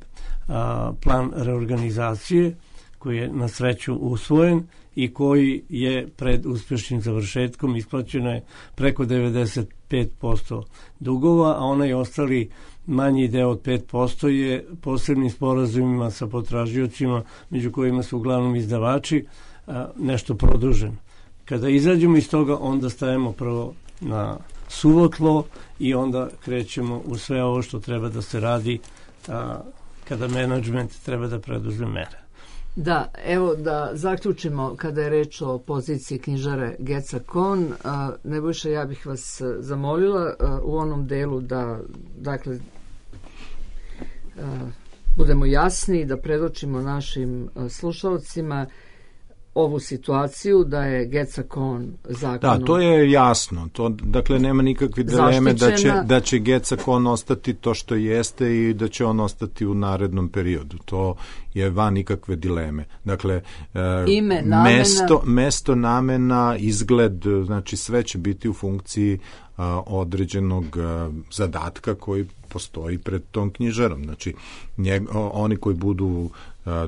plan reorganizacije koji je na sreću usvojen i koji je pred uspješnim završetkom. Isplaćeno je preko 95% dugova, a onaj ostali manji deo od 5% je posebnim sporazumima sa potražiocima, među kojima su uglavnom izdavači, nešto produžen. Kada izađemo iz toga, onda stajemo prvo na suvo tlo i onda krećemo u sve ovo što treba da se radi kada menadžment treba da preduzme mere. Da, evo da zaključimo kada je reč o poziciji knjižare Geca Kon. Nebojša, ja bih vas zamolila u onom delu da, dakle, budemo jasni, da predočimo našim slušalcima ovu situaciju da je Geca Kon zakonom... Da, to je jasno. To, dakle, nema nikakve dileme da će Geca Kon ostati to što jeste i da će on ostati u narednom periodu. To je van nikakve dileme. Dakle, ime, namena... mesto, namena, izgled, znači sve će biti u funkciji određenog zadatka koji postoji pred tom knjižarom. Znači, oni koji budu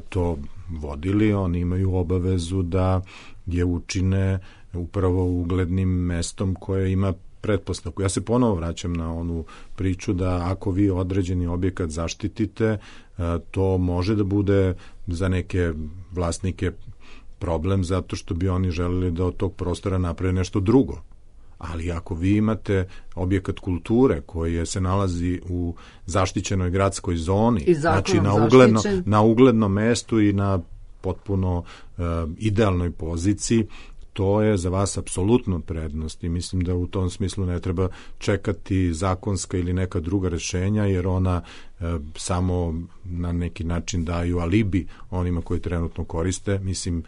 to vodili, oni imaju obavezu da je učine upravo uglednim mestom koje ima pretpostavku. Ja se ponovo vraćam na onu priču da ako vi određeni objekat zaštitite, to može da bude za neke vlasnike problem zato što bi oni želeli da od tog prostora naprave nešto drugo. Ali ako vi imate objekat kulture koji se nalazi u zaštićenoj gradskoj zoni, znači na uglednom mestu i na potpuno idealnoj poziciji, to je za vas apsolutno prednost i mislim da u tom smislu ne treba čekati zakonska ili neka druga rešenja, jer ona samo na neki način daju alibi onima koji trenutno koriste. Mislim,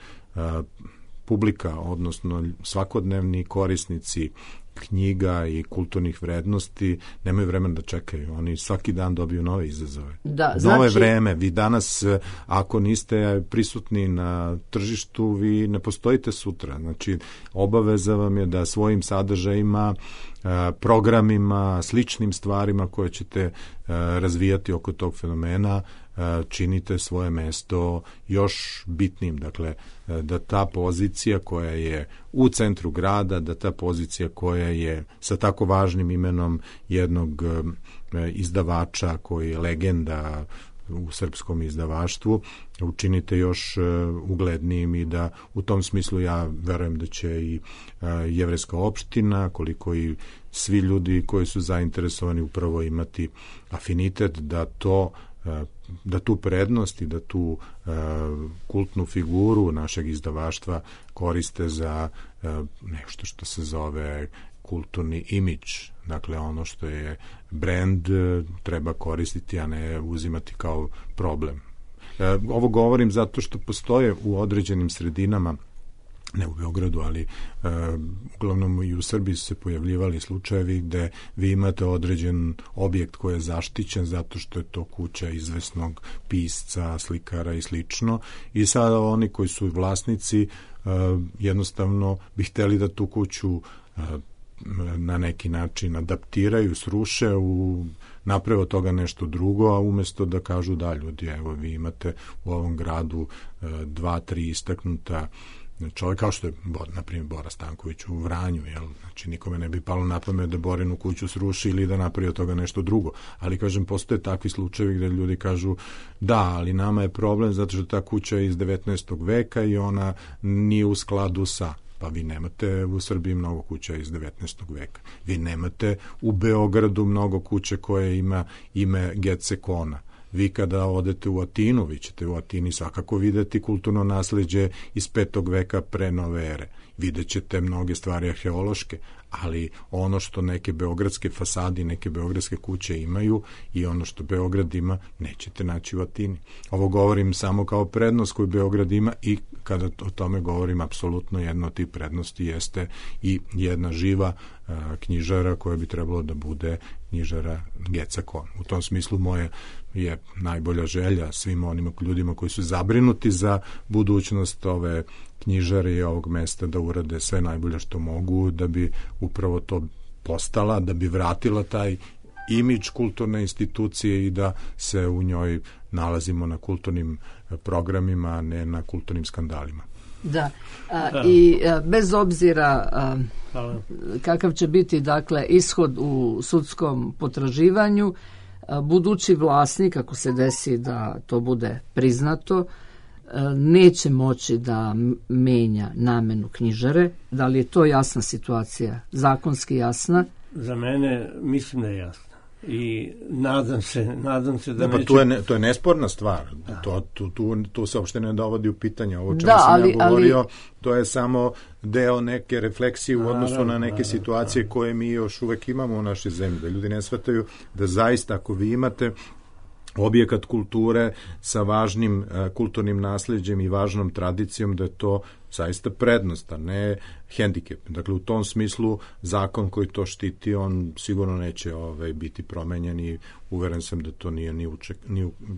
publika, odnosno svakodnevni korisnici knjiga i kulturnih vrednosti nemaju vremena da čekaju. Oni svaki dan dobiju nove izazove. Nove vreme. Vi danas, ako niste prisutni na tržištu, vi ne postojite sutra. Znači, obaveza vam je da svojim sadržajima, programima, sličnim stvarima koje ćete razvijati oko tog fenomena, činite svoje mesto još bitnim. Dakle, da ta pozicija koja je u centru grada, da ta pozicija koja je sa tako važnim imenom jednog izdavača koji je legenda u srpskom izdavaštvu, učinite još uglednijim i da u tom smislu ja verujem da će i jevrejska opština, koliko i svi ljudi koji su zainteresovani upravo imati afinitet da tu prednost i da tu kultnu figuru našeg izdavaštva koriste za nešto što se zove kulturni imidž. Dakle, ono što je brand treba koristiti, a ne uzimati kao problem. Ovo govorim zato što postoje u određenim sredinama, ne u Beogradu, ali uglavnom i u Srbiji su se pojavljivali slučajevi gde vi imate određen objekt koji je zaštićen zato što je to kuća izvesnog pisca, slikara i slično, i sada oni koji su vlasnici jednostavno bi hteli da tu kuću na neki način adaptiraju, sruše, naprave od toga nešto drugo, a umesto da kažu da ljudi, evo vi imate u ovom gradu 2-3 istaknuta čovjek kao što je, na primjer, Bora Stanković u Vranju, jel? Znači, nikome ne bi palo na pamet da Borinu kuću sruši ili da napravi od toga nešto drugo. Ali, kažem, postoje takvi slučajevi gde ljudi kažu da, ali nama je problem zato što ta kuća je iz 19. veka i ona nije u skladu sa... Pa vi nemate u Srbiji mnogo kuća iz 19. veka. Vi nemate u Beogradu mnogo kuće koje ima ime Gecekona. Vi kada odete u Atinu, vi ćete u Atini svakako videti kulturno nasleđe iz 5. veka pre nove ere. Vidjet ćete mnoge stvari arheološke, ali ono što neke beogradske fasadi, neke beogradske kuće imaju i ono što Beograd ima, nećete naći u Atini. Ovo govorim samo kao prednost koju Beograd ima i kada o tome govorim, apsolutno jedna od tih prednosti jeste i jedna živa knjižara koja bi trebalo da bude knjižara Gecakon. U tom smislu moje je najbolja želja svim onim ljudima koji su zabrinuti za budućnost ove knjižare i ovog mesta da urade sve najbolje što mogu da bi upravo to postala, da bi vratila taj imidž kulturne institucije i da se u njoj nalazimo na kulturnim programima, a ne na kulturnim skandalima. Da, i bez obzira kakav će biti dakle ishod u sudskom potraživanju, budući vlasnik, ako se desi da to bude priznato, neće moći da menja namenu knjižare. Da li je to jasna situacija, zakonski jasna? Za mene mislim da je jasna. I nadam se da neće... To je nesporna stvar. Tu se uopšte ne dovodi u pitanje. Ovo čemu sam ja govorio, to je samo deo neke refleksije u odnosu na neke situacije koje mi još uvek imamo u našoj zemlji. Da ljudi ne shvataju da zaista ako vi imate objekat kulture sa važnim kulturnim nasleđem i važnom tradicijom, da je to zaista prednost, a ne hendikep. Dakle, u tom smislu zakon koji to štiti, on sigurno neće biti promenjen i uveren sam da to nije ni u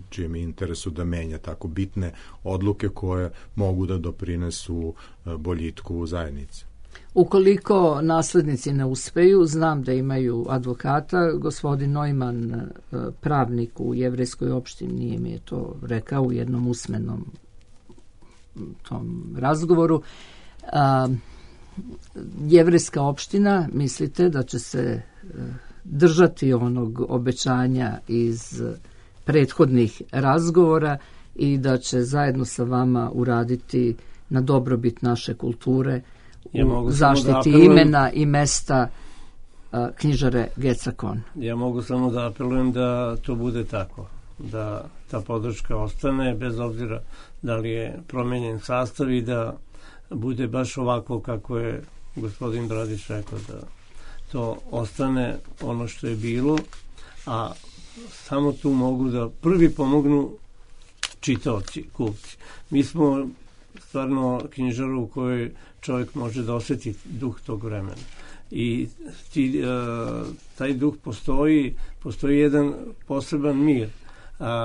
čijem interesu da menja tako bitne odluke koje mogu da doprinesu boljitku u zajednici. Ukoliko naslednici ne uspeju, znam da imaju advokata, gospodin Neumann, pravnik u jevrejskoj opštini, nije mi je to rekao u jednom usmenom tom razgovoru. Jevrejska opština, mislite da će se držati onog obećanja iz prethodnih razgovora i da će zajedno sa vama uraditi na dobrobit naše kulture u zaštiti imena i mesta knjižare Gecakon? Ja mogu samo da apelujem da to bude tako, da ta podrška ostane bez obzira da li je promenjen sastav i da bude baš ovako kako je gospodin Bradić rekao, da to ostane ono što je bilo, a samo tu mogu da prvi pomognu čitaoci, kupci. Mi smo stvarno knjižaru u kojoj čovjek može da osjeti duh tog vremena. I taj duh postoji jedan poseban mir.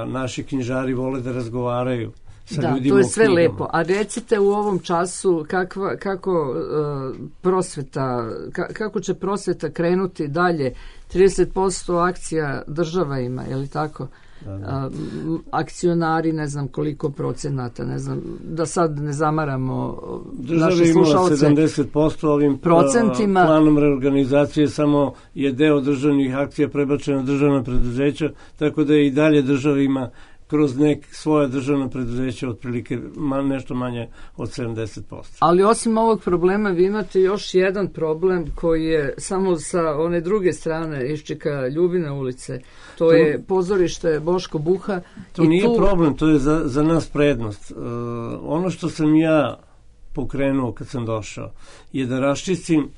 Naši knjižari vole da razgovaraju sa ljudima o knjigama. Da, to je sve lepo. A recite u ovom času kako će prosveta krenuti dalje? 30% akcija država ima, je li tako? Akcionari, ne znam koliko procenata, ne znam, da sad ne zamaramo naše slušalce. Država ima 70% ovim procentima. Planom reorganizacije, samo je deo državnih akcija prebačeno na državna preduzeća, tako da i dalje država ima kroz svoja državna preduzeća otprilike nešto manje od 70%. Ali osim ovog problema vi imate još jedan problem koji je samo sa one druge strane Iščika Ljubine ulice. To je pozorište Boško Buha. To nije problem, to je za nas prednost. Ono što sam ja pokrenuo kad sam došao je da raščistim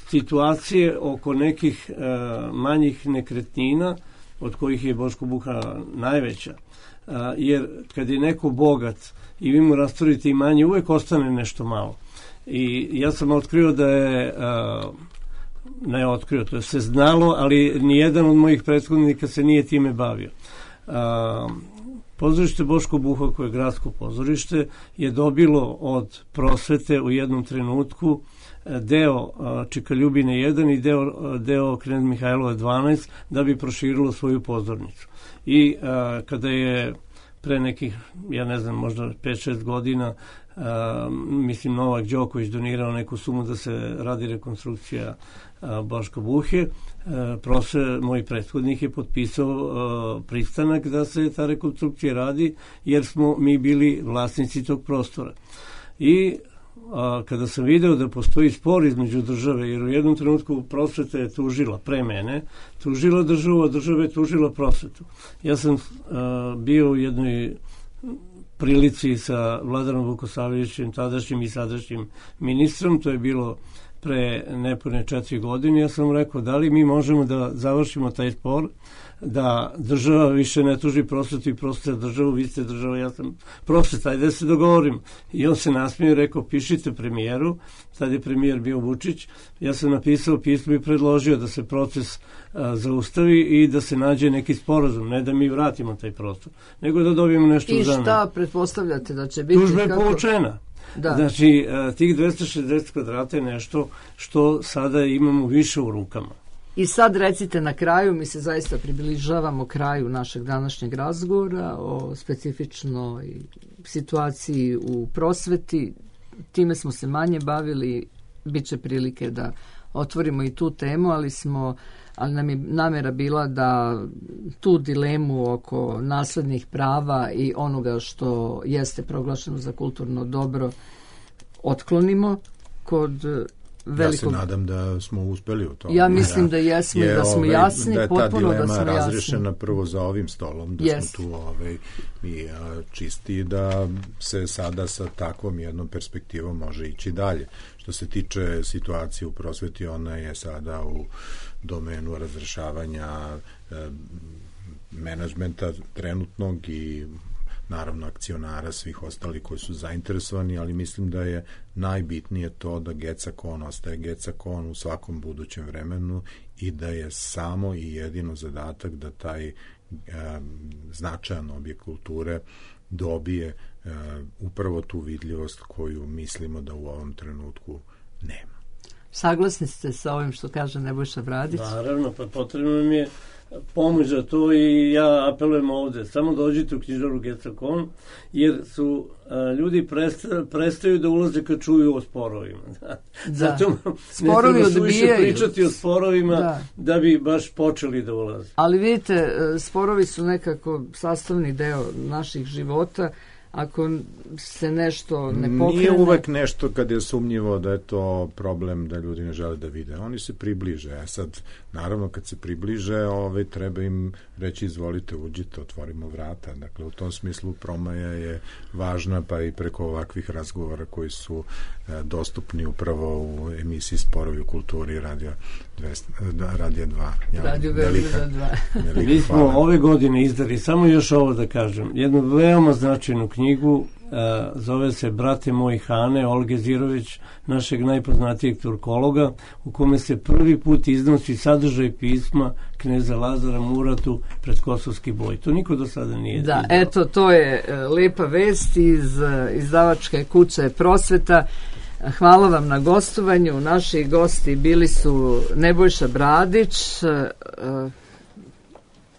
situacije oko nekih manjih nekretnina od kojih je Boško Buha najveća, jer kad je neko bogat i vi mu rasturite imanje, uvek ostane nešto malo. I ja sam otkrio da je, to je se znalo, ali nijedan od mojih prethodnika se nije time bavio. Pozorište Boško Buha, koje je gradsko pozorište, je dobilo od prosvete u jednom trenutku deo Čika Ljubine 1 i deo Knez Mihajlova 12 da bi proširilo svoju pozornicu. I kada je pre nekih, ja ne znam, možda 5-6 godina, mislim Novak Đoković donirao neku sumu da se radi rekonstrukcija Boška Buhe. Moj prethodnik je potpisao pristanak da se ta rekonstrukcija radi, jer smo mi bili vlasnici tog prostora. I kada sam video da postoji spor između države, jer u jednom trenutku prosveta je tužila, pre mene, tužila državu, a država je tužila prosvetu. Ja sam bio u jednoj prilici sa Vladanom Vukosavljevićem, tadašnjim i sadašnjim ministrom, to je bilo pre nepune 4 godine. Ja sam rekao, da li mi možemo da završimo taj spor, da država više ne tuži prosvetu i prosveta državu, vi ste država, ja sam prosveta, ajde da se dogovorim. I on se nasmio i rekao, pišite premijeru, tad je premijer bio Vučić, ja sam napisao pismo i predložio da se proces zaustavi i da se nađe neki sporazum, ne da mi vratimo taj prostor, nego da dobijemo nešto u zamenu. I šta pretpostavljate da će biti? Tužba je povučena. Da. Znači, tih 260 kvadrata je nešto što sada imamo više u rukama. I sad recite na kraju, mi se zaista približavamo kraju našeg današnjeg razgovora o specifičnoj situaciji u prosveti. Time smo se manje bavili, bit će prilike da otvorimo i tu temu, ali nam je namjera bila da tu dilemu oko naslednih prava i onoga što jeste proglašeno za kulturno dobro otklonimo kod velikog... Ja se nadam da smo uspeli u tome. Ja mislim da jesmo i da smo jasni, potpuno da smo jasni. Da je ta dilema razrešena prvo za ovim stolom, da smo tu i čisti, da se sada sa takvom jednom perspektivom može ići dalje. Što se tiče situacije u prosveti, ona je sada u domenu razrešavanja menadžmenta trenutnog i naravno akcionara, svih ostali koji su zainteresovani, ali mislim da je najbitnije to da GECA-KON ostaje GECA-KON u svakom budućem vremenu i da je samo i jedino zadatak da taj značajan objekt kulture dobije upravo tu vidljivost koju mislimo da u ovom trenutku nema. Saglasni ste sa ovim što kaže Nebojša Bradić? Naravno, pa potrebno mi je pomoć za to i ja apelujem ovde. Samo dođite u knjižaru GECA-KON, jer su ljudi prestaju da ulaze kad čuju o sporovima. Zato ne treba suviše pričati o sporovima da bi baš počeli da ulaze. Ali vidite, sporovi su nekako sastavni deo naših života. Ako se nešto ne pokrene... Nije uvek nešto kad je sumnjivo da je to problem da ljudi ne žele da vide. Oni se približe. Sad, naravno, kad se približe, treba im reći izvolite, uđite, otvorimo vrata. Dakle, u tom smislu promaja je važna, pa i preko ovakvih razgovora koji su dostupni upravo u emisiji Sporovi u kulturi Radio 2. Radio Beograd 2. Mi smo ove godine izdali, samo još ovo da kažem, jednu veoma značajnu knjigu, zove se Brate moji Hane, Olge Zirović, našeg najpoznatijeg turkologa, u kome se prvi put iznosi sadržaj pisma kneza Lazara Muratu pred Kosovski boj. To niko do sada nije izdao. Eto, to je lepa vest iz izdavačke kuće Prosveta. Hvala vam na gostovanju. Naši gosti bili su Nebojša Bradić,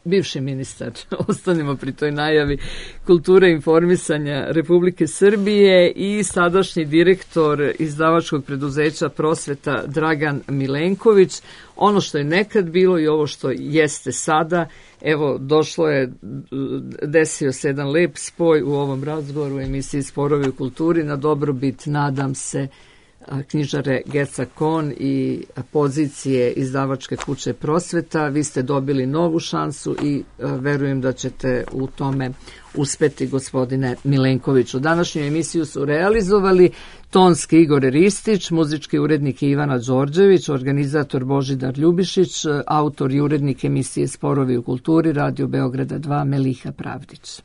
bivši ministar, ostanemo pri toj najavi, kulture i informisanja Republike Srbije i sadašnji direktor izdavačkog preduzeća Prosveta Dragan Milenković. Ono što je nekad bilo i ovo što jeste sada, evo, desio se jedan lep spoj u ovom razgovoru u emisiji Sporovi u kulturi na dobrobit, nadam se, knjižare GECA-KON i pozicije izdavačke kuće Prosveta. Vi ste dobili novu šansu i verujem da ćete u tome uspeti, gospodine Milenkoviću. Današnju emisiju su realizovali tonski Igor Ristić, muzički urednik Ivana Đorđević, organizator Božidar Ljubišić, autor i urednik emisije Sporovi u kulturi Radio Beograda 2 Meliha Pravdić.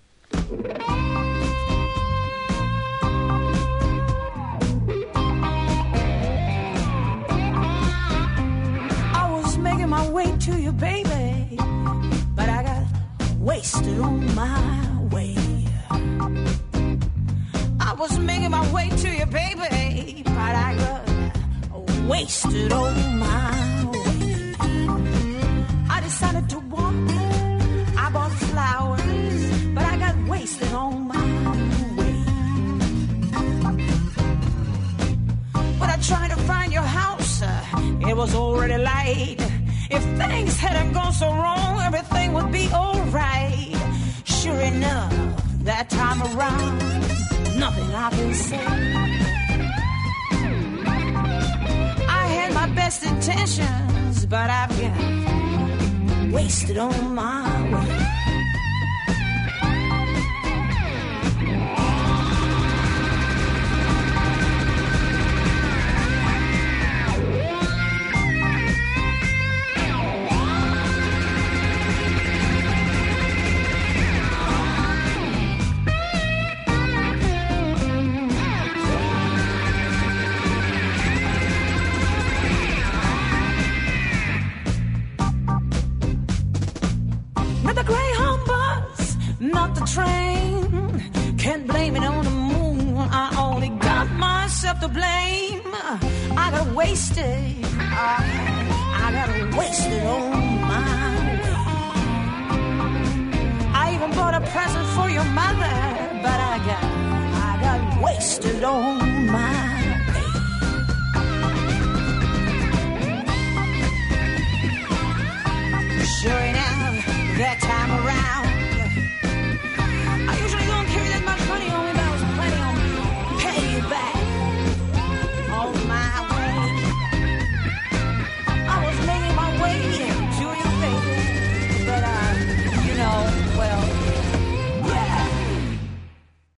My way to you, baby, but I got wasted on my way. I was making my way to you, baby, but I got wasted on my way. I decided to walk, I bought flowers, but I got wasted on was already light. If things hadn't gone so wrong, everything would be alright. Sure enough, that time around, nothing I can say. I had my best intentions, but I've got wasted on my way. Not the train, can't blame it on the moon. I only got myself to blame. I got wasted, I got wasted on my way. I even bought a present for your mother, but I got wasted on